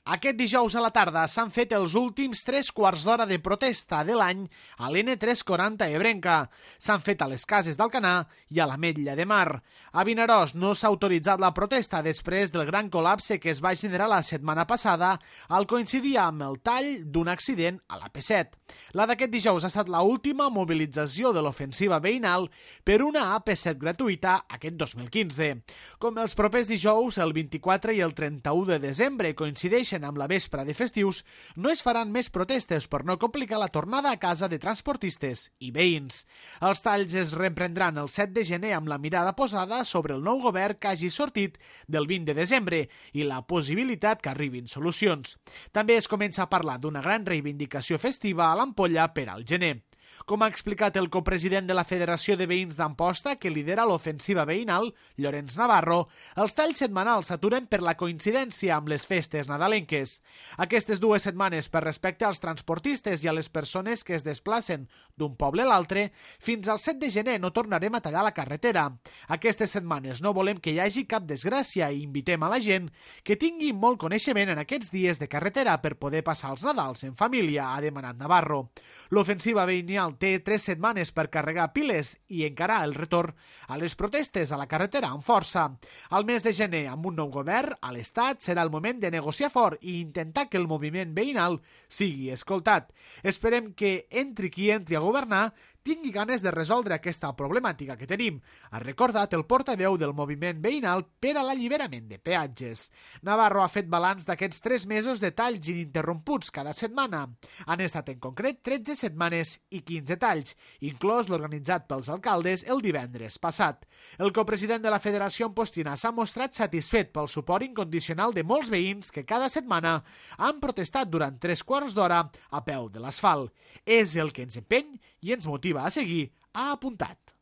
Aquest dijous a la tarda s'han fet els últims 3/4 d'hora de protesta de l'any a l'N340 ebrenca. S'han fet a les Cases d'Alcanar i a l'Ametlla de Mar. A Vinaròs no s'ha autoritzat la protesta després del gran col·lapse que es va generar la setmana passada al coincidir amb el tall d'un accident a l'AP7. La d'aquest dijous ha estat l'última mobilització de l'ofensiva veïnal per una AP7 gratuïta aquest 2015. Com els propers dijous, el 24 i el 31 de desembre coincideixen amb la vespra de festius, no es faran més protestes per no complicar la tornada a casa de transportistes i veïns. Els talls es reprendran el 7 de gener amb la mirada posada sobre el nou govern que hagi sortit del 20 de desembre i la possibilitat que arribin solucions. També es comença a parlar d'una gran reivindicació festiva a l'Ampolla per al gener. Com ha explicat el copresident de la Federació de Veïns d'Amposta, que lidera l'ofensiva veïnal, Llorenç Navarro, els talls setmanals s'aturen per la coincidència amb les festes nadalenques. Aquestes 2 setmanes, per respecte als transportistes i a les persones que es desplacen d'un poble a l'altre, fins al 7 de gener no tornarem a tallar la carretera. Aquestes setmanes no volem que hi hagi cap desgràcia i invitem a la gent que tingui molt coneixement en aquests dies de carretera per poder passar els Nadals en família, ha demanat Navarro. L'ofensiva veïnal té 3 setmanes per carregar piles i encarar el retorn a les protestes a la carretera amb força. Al mes de gener, amb un nou govern, a l'Estat serà el moment de negociar fort i intentar que el moviment veïnal sigui escoltat. Esperem que entri qui entri a governar tingui ganes de resoldre aquesta problemàtica que tenim, ha recordat el portaveu del moviment veïnal per a l'alliberament de peatges. Navarro ha fet balanç d'aquests 3 mesos de talls ininterromputs cada setmana. Han estat en concret 13 setmanes i 15 talls, inclòs l'organitzat pels alcaldes el divendres passat. El copresident de la Federació Ampostina s'ha mostrat satisfet pel suport incondicional de molts veïns que cada setmana han protestat durant 3/4 d'hora a peu de l'asfalt. És el que ens empeny i ens motiva a seguir, ha apuntat.